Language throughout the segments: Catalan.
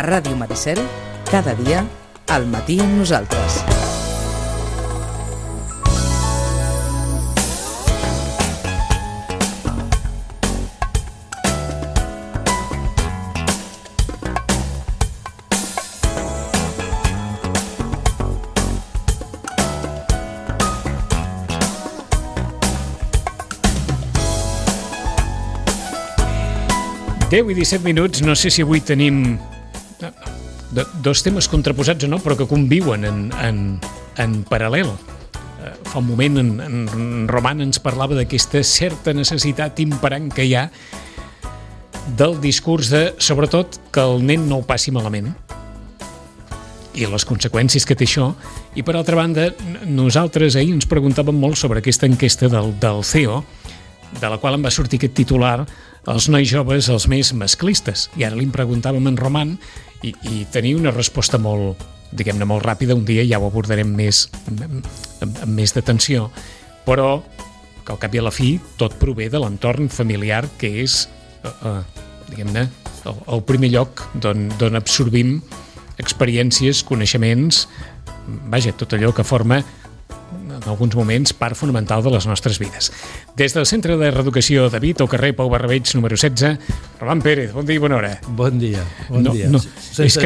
Ràdio Maricel, cada dia, al matí amb nosaltres. Deu i 17 minuts, no sé si avui tenim dos temes contraposats o no, però que conviuen en paral·lel. Fa un moment en Roman ens parlava d'aquesta certa necessitat imperant que hi ha del discurs de, sobretot, que el nen no ho passi malament i les conseqüències que té això. I per altra banda, nosaltres ahir ens preguntàvem molt sobre aquesta enquesta del CEO, de la qual em va sortir aquest titular, els nois joves els més masclistes. I ara li preguntàvem en Roman i tenia una resposta molt, diguem-ne, molt ràpida. Un dia ja ho abordarem amb més d'atenció, però que al cap i a la fi tot prové de l'entorn familiar, que és, diguem-ne, el primer lloc d'on absorbim experiències, coneixements, vaja, tot allò que forma en alguns moments part fonamental de les nostres vides. Des del Centre de Reeducació David, al carrer Pau Barrabeig, número 16, Roman Pérez, bon dia i bona hora. Bon dia. Se'ns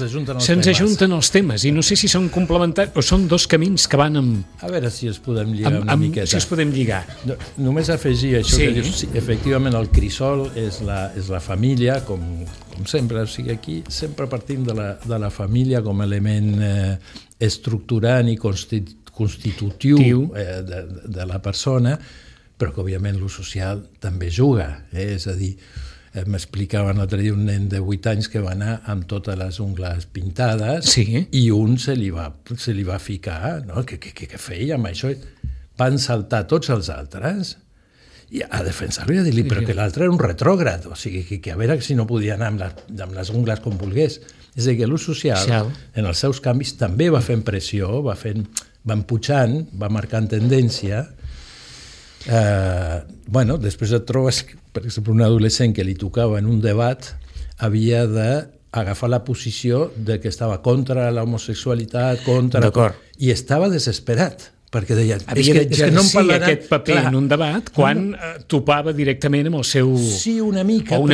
ajunten els temes i no sé si són complementaris o són dos camins que van amb... A veure si els podem lligar una miqueta. Si els podem lligar. Només afegir això, que dius, sí, efectivament el crisol és la família, com sempre, o sigui, aquí sempre partim de la família com a element estructurant i constitutiu de la persona, però que òbviament lo social també juga, és a dir, m'explicaven l'altre dia un nen de 8 anys que va anar amb totes les ungles pintades, sí, i un se li va ficar, no? Què feia amb això? Van saltar tots els altres i a defensar-lo i a dir-li però que l'altre era un retrògrad, o sigui, que a veure si no podia anar amb les ungles com volgués. És a dir, que l'ús social, en els seus canvis, també va fent pressió, va empujant, va marcant tendència. Després et trobes, per exemple, un adolescent que li tocava en un debat havia d'agafar la posició de que estava contra l'homosexualitat, i estava desesperat, perquè deia... Havia d'exercir aquest paper en un debat quan topava directament amb el seu... Sí, una mica, però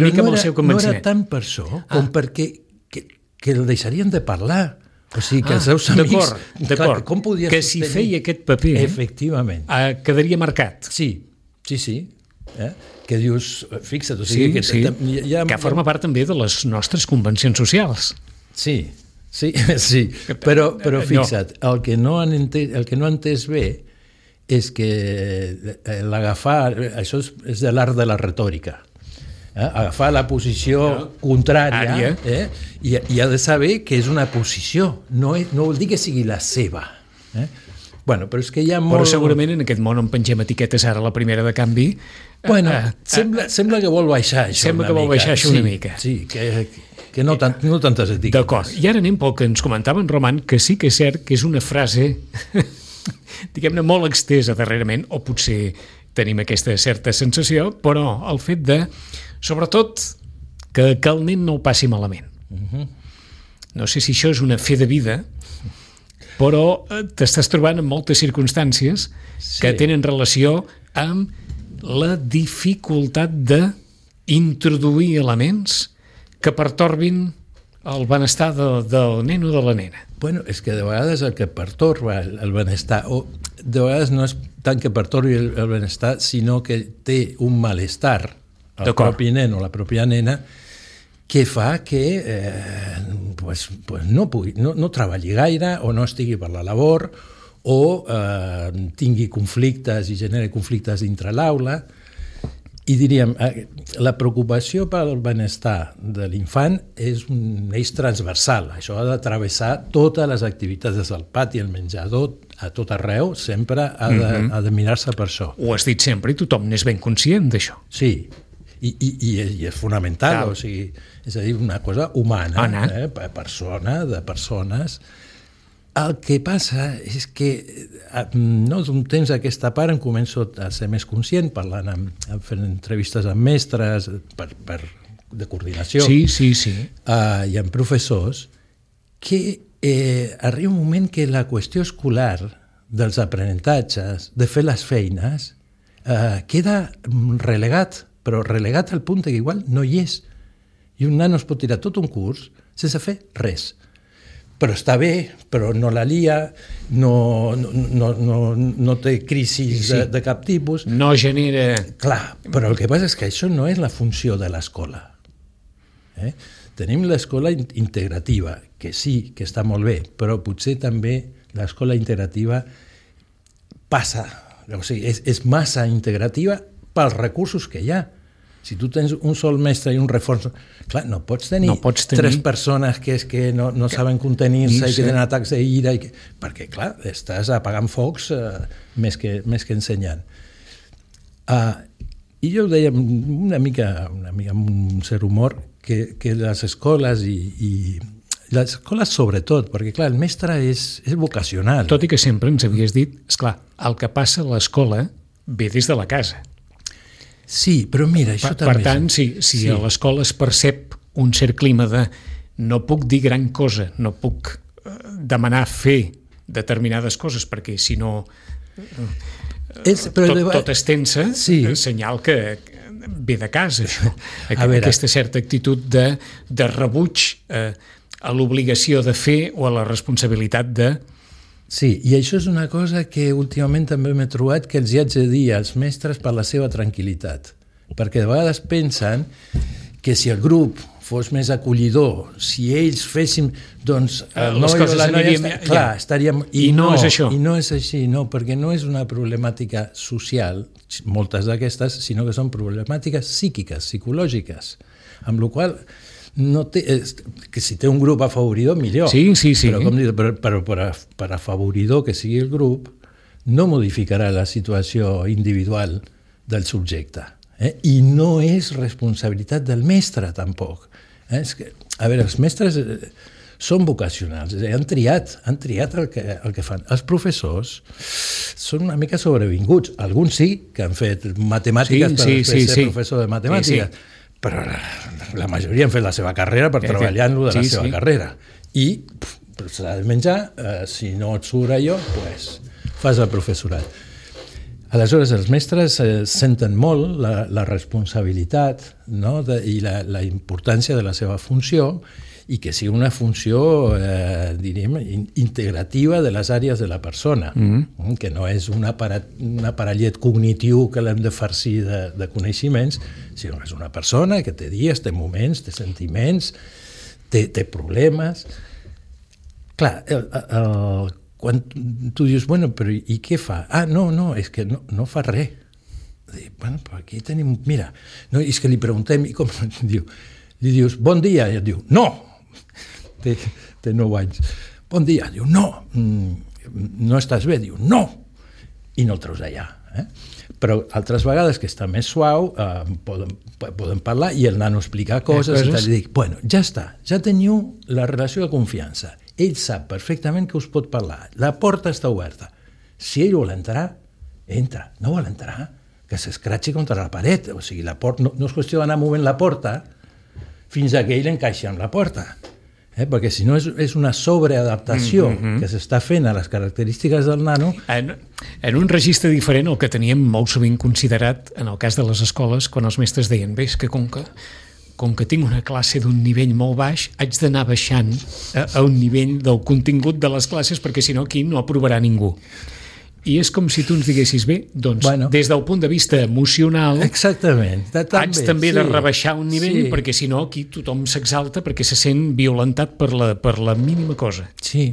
no era tant per això com perquè que el deixarien de parlar. O sigui, que els seus amics... D'acord, que si feia aquest paper... Efectivament. Quedaria marcat. Sí. Que dius, fixa't, o sigui... Que forma part també de les nostres convencions socials. Sí. Però fixa't, el que no han entès bé és que l'agafar... Això és de l'art de la retòrica. Agafar la posició contrària i ha de saber que és una posició, no vol dir que sigui la seva. Però és que hi ha molt... Però segurament en aquest món on pengem etiquetes ara la primera de canvi... Sembla que vol baixar això una mica. Sí, que no tantes etiquetes. D'acord, i ara anem pel que ens comentava en Roman, que sí que és cert que és una frase, diguem-ne, molt extesa darrerament, o potser tenim aquesta certa sensació, però el fet de... Sobretot, que el nen no ho passi malament. No sé si això és una fe de vida, però t'estàs trobant en moltes circumstàncies que tenen relació amb la dificultat d'introduir elements que pertorbin el benestar del nen o de la nena. És que de vegades el que pertorba el benestar, o de vegades no és tant que pertorbi el benestar, sinó que té un malestar el propi nen o la pròpia nena que fa que no treballi gaire o no estigui per la labor o tingui conflictes i generi conflictes dintre l'aula. I diríem, la preocupació pel benestar de l'infant és un eix transversal. Això ha de travessar totes les activitats, des del pati, el menjador, a tot arreu, sempre ha de mirar-se per això. Ho has dit sempre i tothom n'és ben conscient d'això. Sí, i és fonamental, o sigui, és a dir, una cosa humana, persona, de persones. El que passa és que d'un temps a aquesta part em començo a ser més conscient, parlant, fent entrevistes amb mestres per de coordinació. Sí. Hi ha professors que arriba un moment que la qüestió escolar dels aprenentatges, de fer les feines, queda relegat, però relegat al punt que igual no hi és. I un nano es pot tirar tot un curs sense fer res. Però està bé, però no la lia, no té crisis de cap tipus. No genera... Clar, però el que passa és que això no és la funció de l'escola. Tenim l'escola integrativa, que sí, que està molt bé, però potser també l'escola integrativa passa, o sigui, és massa integrativa pels recursos que hi ha. Si tu tens un sol mestre i un reforç, clar, no pots tenir 3 persones que no saben contenir-se i que tenen atacs d'ira, perquè, clar, estàs apagant focs més que ensenyant. I jo ho deia una mica amb un cert humor, que les escoles i les escoles sobretot, perquè clar, el mestre és vocacional. Tot i que sempre ens havies dit, esclar, el que passa a l'escola ve des de la casa. Sí, però mira, això també... Per tant, si a l'escola es percep un cert clima de no puc dir gran cosa, no puc demanar fer determinades coses, perquè si no tot és tensa, senyal que ve de casa, això. Aquesta certa actitud de rebuig a l'obligació de fer o a la responsabilitat de... Sí, i això és una cosa que últimament també m'he trobat que els hi haig de dir als mestres per la seva tranquil·litat, perquè de vegades pensen que si el grup fos més acollidor, si ells féssim, doncs el noi o la noia estaríem... I no és això. I no és així, no, perquè no és una problemàtica social, moltes d'aquestes, sinó que són problemàtiques psíquiques, psicològiques, amb la qual cosa que si té un grup afavoridor, millor. Sí. Però, com dic, per afavoridor que sigui el grup, no modificarà la situació individual del subjecte. I no és responsabilitat del mestre, tampoc. És que, a veure, els mestres són vocacionals, han triat el que fan. Els professors són una mica sobrevinguts. Alguns sí, que han fet matemàtiques per ser professor de matemàtiques. Sí. Però la majoria han fet la seva carrera per treballar en la seva carrera. I s'ha de menjar, si no et surt allò, doncs fas el professorat. Aleshores, els mestres senten molt la responsabilitat, no? I la importància de la seva funció, i que sigui una funció, diríem, integrativa de les àrees de la persona, que no és un aparellet cognitiu que l'hem de farcir de coneixements, sinó que és una persona que té dies, té moments, té sentiments, té problemes. Clar, quan tu dius, bueno, però i què fa? No, és que no fa res. Bueno, però aquí tenim... Mira, no, és que li preguntem, i com diu? Li dius, bon dia, i et diu, no! Té 9 anys. Bon dia, diu, no estàs bé, diu, no! I no el treus allà. Però altres vegades que està més suau poden parlar i el nano explicar coses i tal, i dic, bueno, ja està, ja teniu la relació de confiança. Ell sap perfectament que us pot parlar. La porta està oberta. Si ell vol entrar, entra. No vol entrar, que s'escratxi contra la paret. O sigui, la porta no és qüestió d'anar movent la porta fins a que ell encaixi amb la porta. Perquè si no és una sobreadaptació que s'està fent a les característiques del nano. En un registre diferent, el que teníem molt sovint considerat en el cas de les escoles, quan els mestres deien, bé, és que com que tinc una classe d'un nivell molt baix, haig d'anar baixant a un nivell del contingut de les classes, perquè si no aquí no aprovarà ningú. I és com si tu ens diguessis, bé, doncs, des del punt de vista emocional, exactament, haig també de rebaixar un nivell, perquè si no aquí tothom s'exalta perquè se sent violentat per la mínima cosa. Sí,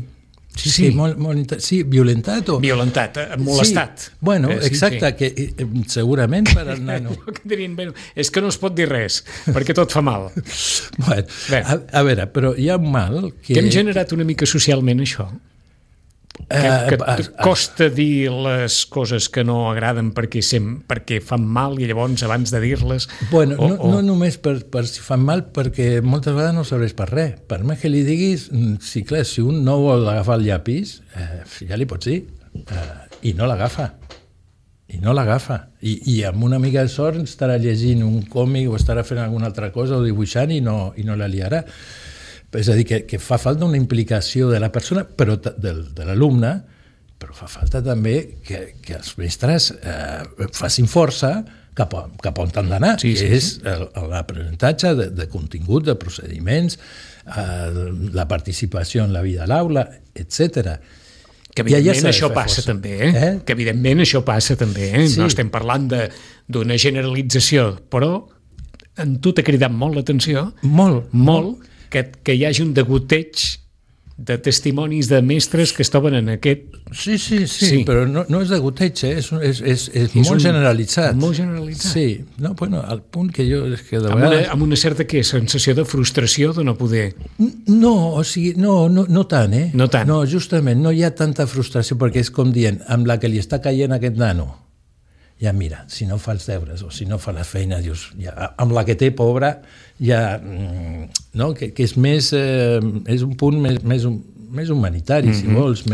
violentat o... Violentat, molestat. Sí. Bueno, exacte, que segurament per al nano... És que no es pot dir res, perquè tot fa mal. A veure, però hi ha un mal que... Que hem generat una mica socialment això. Que costa dir les coses que no agraden perquè fan mal i llavors abans de dir-les... Bueno, no només per si fan mal, perquè moltes vegades no serveix per res. Per més que li diguis, sí, clar, si un no vol agafar el llapis, ja li pots dir, i no l'agafa. i no l'agafa. I amb una mica de sort estarà llegint un còmic o estarà fent alguna altra cosa o dibuixant i no la liarà. És a dir, que fa falta una implicació de la persona, però de l'alumne, però fa falta també que els mestres facin força cap on han d'anar, que és l'aprenentatge de contingut, de procediments, la participació en la vida a l'aula, etc. Que evidentment això passa també, Que evidentment això passa també, No estem parlant d'una generalització, però en tu t'ha cridat molt l'atenció, molt, que hi hagi un degoteig de testimonis de mestres que es troben en aquest... Sí, però no és degoteig, és molt generalitzat. Molt generalitzat. Sí, no, bueno, al punt que jo... És que de vegades... Amb una certa sensació de frustració de no poder... No, o sigui, no tant, No tant. No, justament, no hi ha tanta frustració, perquè és com dient, amb la que li està caient aquest nano, ja mira, si no fa els deures o si no fa la feina, dius, ja, amb la que té, pobra, ja, no? Que és més, és un punt més humanitari, si vols.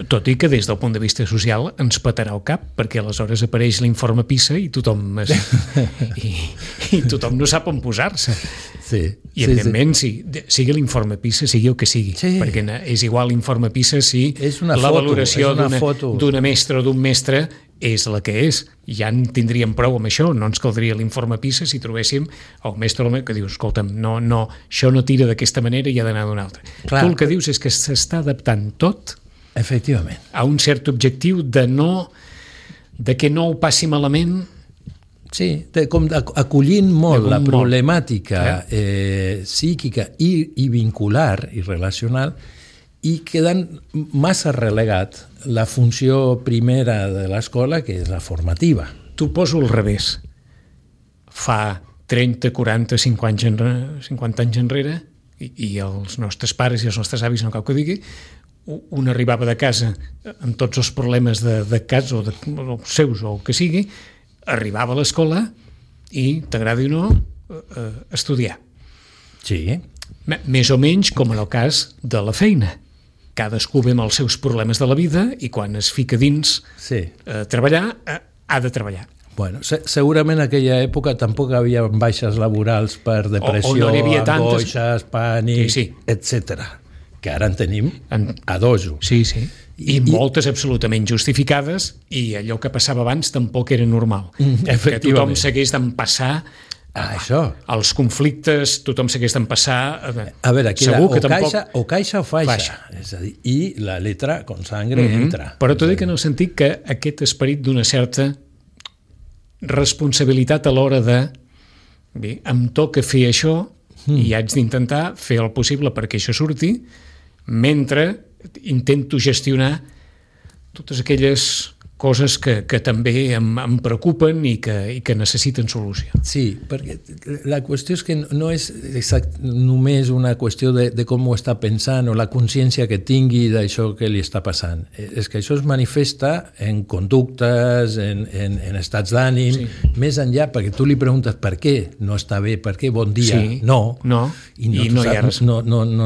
Tot i que des del punt de vista social ens petarà el cap, perquè aleshores apareix l'informe PISA i tothom i tothom no sap on posar-se. Sí. I evidentment, sigui l'informe PISA, sigui el que sigui, perquè és igual l'informe PISA si la valoració d'una mestra o d'un mestre és la que és. Ja en tindríem prou amb això, no ens caldria l'informe PISA si trobéssim el mestre que diu, escolta'm, no, això no tira d'aquesta manera i ha d'anar d'una altra. Clar. Tu el que dius és que s'està adaptant tot efectivament a un cert objectiu de que no ho passi malament. Sí, com acollint molt la problemàtica psíquica i vincular i relacional, i quedant massa relegat la funció primera de l'escola, que és la formativa. T'ho poso al revés. Fa 30, 40, 50 anys enrere, i els nostres pares i els nostres avis, no cal que ho digui, un arribava de casa amb tots els problemes de casa o seus o el que sigui, arribava a l'escola i, t'agradi o no, estudiar. Sí. Més o menys com en el cas de la feina. Cadascú ve amb els seus problemes de la vida i quan es fica dins treballar, ha de treballar. Bueno, segurament en aquella època tampoc hi havia baixes laborals per depressió, angoixes, pànic, etc. Que ara en tenim a dojo. Sí. I moltes absolutament justificades, i allò que passava abans tampoc era normal. Que tothom s'hagués d'empassar els conflictes, tothom s'hagués d'empassar. A veure, aquí o caixa o faixa. És a dir, i la letra con sangre entra. Però t'ho dic en el sentit que aquest esperit d'una certa responsabilitat a l'hora de em toca fer això i haig d'intentar fer el possible perquè això surti, mentre intento gestionar totes aquelles coses que també em preocupen i que necessiten solució. Sí, perquè la qüestió és que no és només una qüestió de com ho està pensant o la consciència que tingui d'això que li està passant. És que això es manifesta en conductes, en estats d'ànim, més enllà, perquè tu li preguntes per què no està bé, per què bon dia, no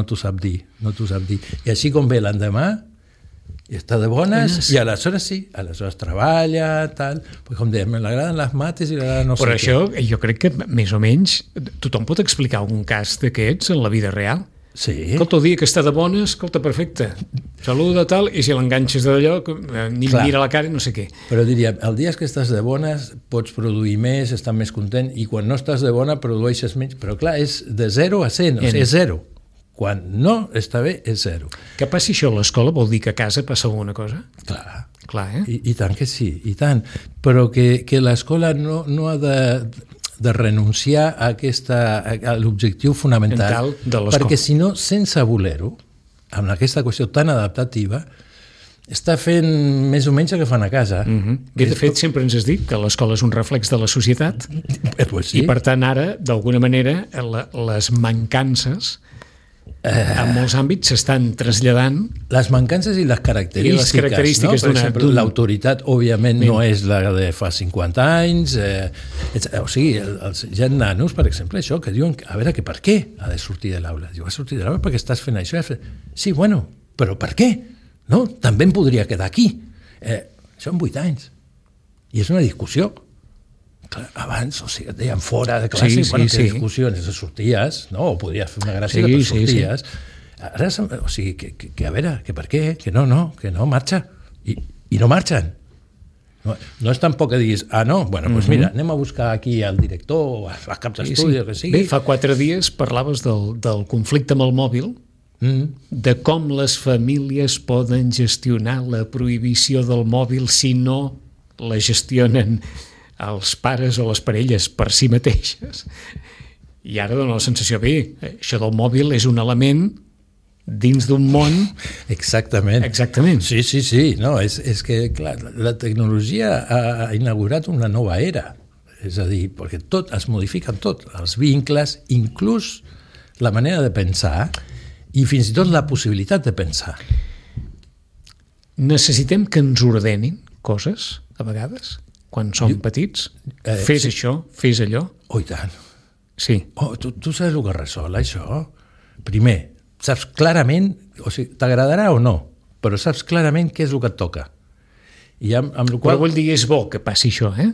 t'ho sap dir. I així com ve l'endemà, i està de bones, i aleshores aleshores treballa, tal, pues com dèiem, l'agraden les mates i l'agraden no sé què. Però això, jo crec que més o menys tothom pot explicar algun cas d'aquests en la vida real. Sí. Escolta, el dia que està de bones, escolta, perfecte, saluda, tal, i si l'enganxes d'allò, ni mira la cara, no sé què. Però diria, el dia que estàs de bones pots produir més, estar més content, i quan no estàs de bona produeixes menys, però clar, és de 0 a 100, o sigui, és 0. Quan no està bé, és 0. Que passi això a l'escola vol dir que a casa passa alguna cosa? Clar, I tant que sí, i tant. Però que l'escola no ha de renunciar a l'objectiu fonamental, perquè si no, sense voler-ho, amb aquesta qüestió tan adaptativa, està fent més o menys el que fan a casa. Bé, de fet, sempre ens has dit que l'escola és un reflex de la societat, i per tant ara, d'alguna manera, les mancances en molts àmbits s'estan traslladant. Les mancances i les característiques, no? Per exemple, l'autoritat òbdiament no és la de fa 50 anys, o sigui, hi ha nanos, per exemple, això, que diuen, a veure, que per què ha de sortir de l'aula? Diu, ha de sortir de l'aula perquè estàs fent això. Sí, bueno, però per què? No? També em podria quedar aquí. Això en 8 anys. I és una discussió. Clar, abans, o sigui, et deien fora de classe, que discussions, sorties, no? O podies fer una gràcia, però sorties. Ara, o sigui, que a veure, que per què? Que no, marxa. I no marxen. No és tampoc que diguis, doncs mira, anem a buscar aquí el director, a cap d'estudi, el que sigui. Bé, fa 4 dies parlaves del conflicte amb el mòbil, de com les famílies poden gestionar la prohibició del mòbil si no la gestionen els pares o les parelles per si mateixes. I ara dona la sensació, bé, això del mòbil és un element dins d'un món... Exactament. Sí. No, és que, clar, la tecnologia ha inaugurat una nova era. És a dir, perquè tot es modifica tot, els vincles, inclús la manera de pensar i fins i tot la possibilitat de pensar. Necessitem que ens ordenin coses, a vegades, quan som petits? Fes això, fes allò? Oh, i tant. Sí. Tu saps el que resol, això? Primer, saps clarament, o sigui, t'agradarà o no, però saps clarament què és el que et toca. I amb el qual... Però vull dir, és bo que passi això, eh?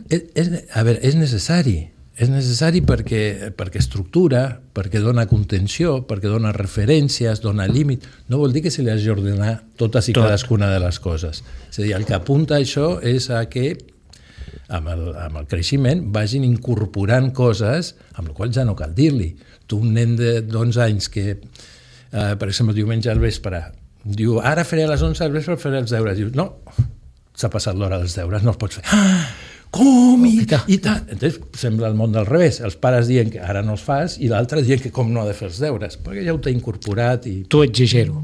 A veure, és necessari. És necessari perquè estructura, perquè dona contenció, perquè dona referències, dona límit. No vol dir que se li hagi d'ordenar totes i cadascuna de les coses. És a dir, el que apunta això és a que amb el creixement vagin incorporant coses amb les quals ja no cal dir-li. Tu, un nen d'11 anys que, per exemple, diumenge al vespre, diu, ara faré a les 11 al vespre, faré els deures. Diu, no, s'ha passat l'hora dels deures, no els pots fer. Com? I tant. Entonces, sembla el món del revés. Els pares diuen que ara no els fas i l'altre diuen que com no ha de fer els deures, perquè ja ho t'ha incorporat. I... Tu exagero.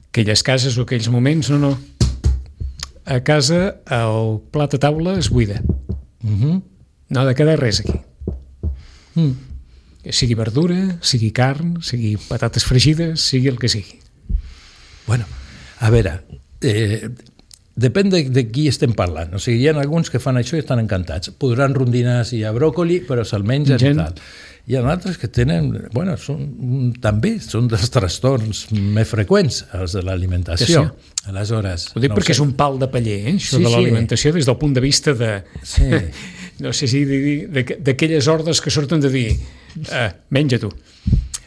Aquelles cases o aquells moments, no. A casa el plat a taula es buida. No ha de quedar res aquí. Sigui verdura, sigui carn, sigui patates fregides, sigui el que sigui. Bueno, a veure... Depèn de qui estem parlant. O sigui, hi ha alguns que fan això i estan encantats. Podran rondinar si hi ha bròcoli, però se'l mengen i tal. Hi ha altres que tenen... Bueno, també són dels trastorns més freqüents, els de l'alimentació. Aleshores... Ho dic perquè és un pal de paller, això de l'alimentació, des del punt de vista de... No sé si d'aquelles ordres que surten de dir menja tu.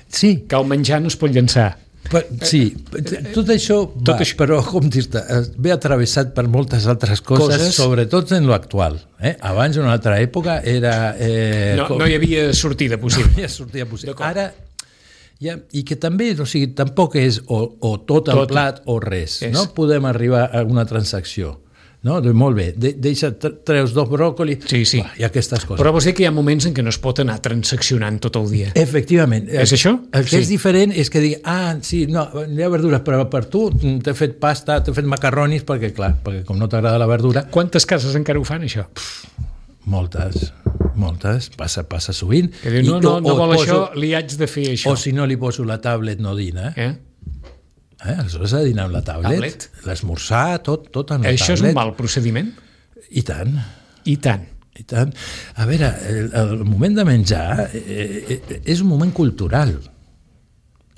Sí. Que el menjar no es pot llençar. Sí, tot això va, però com dir-te, ve atravessat per moltes altres coses, sobretot en l'actual. Abans, en una altra època, era... No hi havia sortida possible. No hi havia sortida possible. Ara, i que també, o sigui, tampoc és o tot el plat o res. No podem arribar a una transacció. No? Doncs molt bé, treus 2 bròcoli i aquestes coses. Però vols dir que hi ha moments en què no es pot anar transaccionant tot el dia. Efectivament. És això? El que és diferent és que digui, sí, no, hi ha verdures, però per tu t'he fet pasta, t'he fet macarronis, perquè com no t'agrada la verdura... Quantes cases encara ho fan, això? Moltes, passa sovint. Que diu, no vol això, li haig de fer això. O si no li poso la tablet, no dina. Aleshores ha de dinar amb la tablet. L'esmorzar, tot amb la tablet. Això és un mal procediment? I tant. I tant. A veure, el moment de menjar és un moment cultural.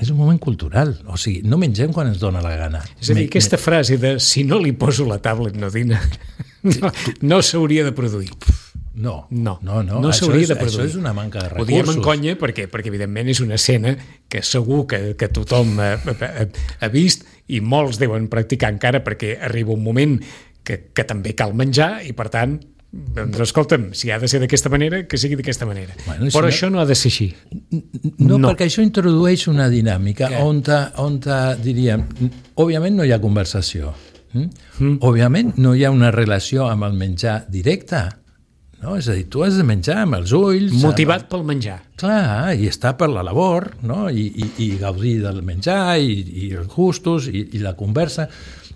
És un moment cultural. O sigui, no mengem quan ens dona la gana. És a dir, aquesta frase de si no li poso la tablet no dina no s'hauria de produir. No s'hauria de produir. Això és una manca de recursos. Ho diem en conya perquè evidentment és una escena que segur que tothom ha vist i molts deuen practicar encara perquè arriba un moment que també cal menjar i per tant, doncs escolta'm, si ha de ser d'aquesta manera, que sigui d'aquesta manera. Però això no ha de ser així. No, perquè això introdueix una dinàmica on diríem, òbviament no hi ha conversació. Òbviament no hi ha una relació amb el menjar directe. No? És a dir, tu has de menjar amb els ulls... Motivat pel menjar. Clar, i estar per la labor, no? I gaudir del menjar, i els gustos, i la conversa.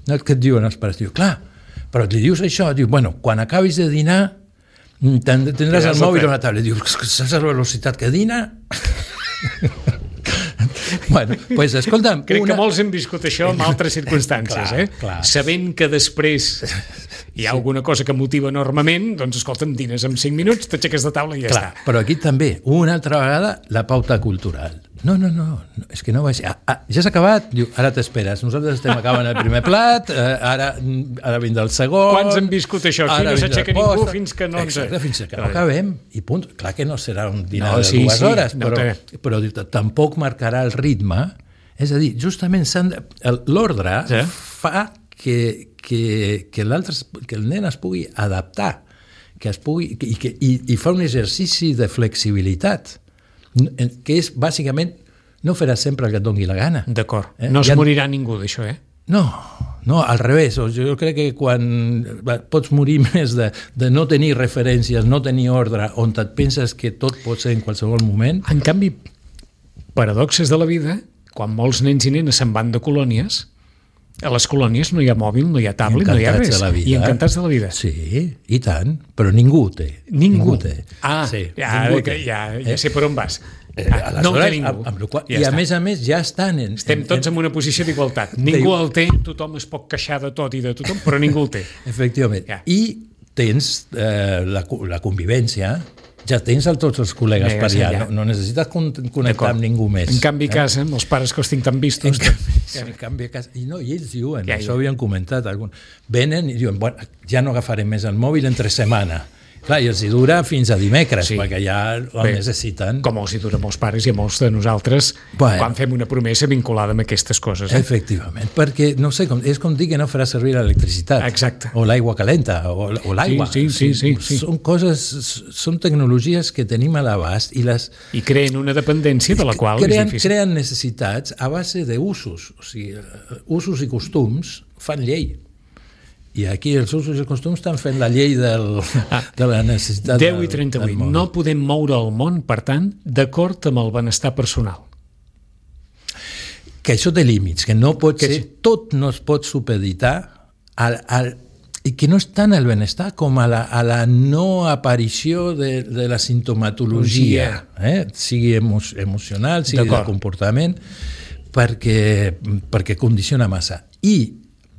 No, què et diuen els pares? Diu, clar, però li dius això, diu, bueno, quan acabis de dinar tindràs el mòbil o la tablet. Diu, saps la velocitat que dina? Bueno, pues, escolta'm... Crec que molts hem viscut això en altres circumstàncies, clar. Sabent que després hi ha alguna cosa que motiva enormement, doncs escolta'm, dines en 5 minuts, t'aixeques de taula i ja està. Però aquí també, una altra vegada, la pauta cultural. No, és que no va ser. Ja s'ha acabat? Diu, ara t'esperes. Nosaltres estem acabant el primer plat, ara vindrà el segon... Quants han viscut això? Aquí no s'aixeca ningú fins que no ens... Exacte, fins que no acabem. I punt. Clar que no serà un dinar de 2 hores, però tampoc marcarà el ritme. És a dir, justament l'ordre fa que el nen es pugui adaptar, i fa un exercici de flexibilitat, que és, bàsicament, no faràs sempre el que et doni la gana. D'acord. No es morirà ningú d'això, No, al revés. Jo crec que quan pots morir més de no tenir referències, no tenir ordre, on et penses que tot pot ser en qualsevol moment... En canvi, paradoxes de la vida, quan molts nens i nenes se'n van de colònies, a les colònies no hi ha mòbil, no hi ha tablet, no hi ha res. I encantats de la vida. Sí, i tant, però ningú té. Ningú té. Ja sé per on vas. No té ningú. I a més, ja estan... Estem tots en una posició d'igualtat. Ningú el té, tothom es pot queixar de tot i de tothom, però ningú el té. Efectivament. I tens la convivència, ja tens tots els col·legues per allà, no necessites connectar amb ningú més. En canvi, a casa, amb els pares que els tinc tan vistos... En canvi, a casa... I ells diuen, això havien comentat, venen i diuen, ja no agafarem més el mòbil entre setmana. Clar, i els hi dura fins a dimecres, perquè ja el necessiten. Com els hi dura a molts pares i a molts de nosaltres quan fem una promesa vinculada amb aquestes coses. Efectivament, perquè, no sé, és com dir que no farà servir l'electricitat. Exacte. O l'aigua calenta, o l'aigua. Sí. Són coses, són tecnologies que tenim a l'abast i creen una dependència de la qual és difícil. Creen necessitats a base d'usos. O sigui, usos i costums fan llei. I aquí els usos i costums estan fent la llei de la necessitat 10:38. No podem moure el món, per tant, d'acord amb el benestar personal. Que això té límits, que no pot ser, tot no es pot supeditar i que no és tant el benestar com a la no aparició de la sintomatologia, sigui emocional, sigui de comportament, perquè condiciona massa. I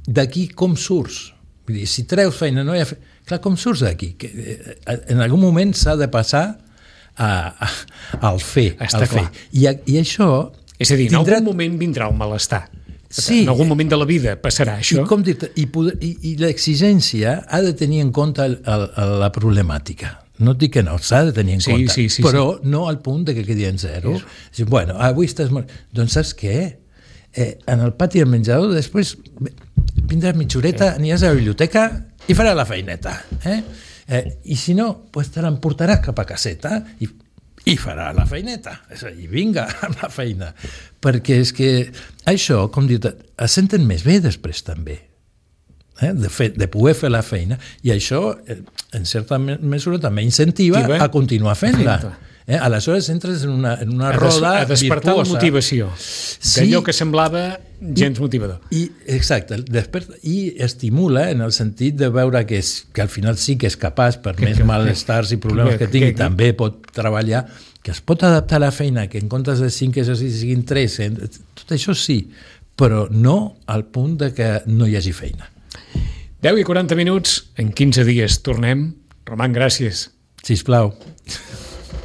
d'aquí com surts? Vull dir, si treus feina, no hi ha feina... Clar, com surts d'aquí? En algun moment s'ha de passar al fer. I això... És a dir, en algun moment vindrà un malestar. Sí. En algun moment de la vida passarà això. I l'exigència ha de tenir en compte la problemàtica. No et dic que no, s'ha de tenir en compte, però no al punt que quedi en zero. Bueno, avui estàs... Doncs saps què? En el pati del menjador després vindràs mitja horeta, aniràs a la biblioteca i faràs la feineta. I si no, te l'emportaràs cap a caseta i farà la feineta. És a dir, vinga amb la feina. Perquè és que això, com dic, es senten més bé després també. De poder fer la feina. I això, en certa mesura, també incentiva a continuar fent-la. Aleshores entres en una roda a despertar virtuosa. La motivació d'allò que semblava gens motivador. Exacte, i estimula en el sentit de veure que al final sí que és capaç, per més malestars i problemes que tingui, també pot treballar, que es pot adaptar a la feina, que en comptes de 5 exercicis siguin 3, tot això sí, però no al punt de que no hi hagi feina. 10:40, en 15 dies tornem. Roman, gràcies. Sisplau.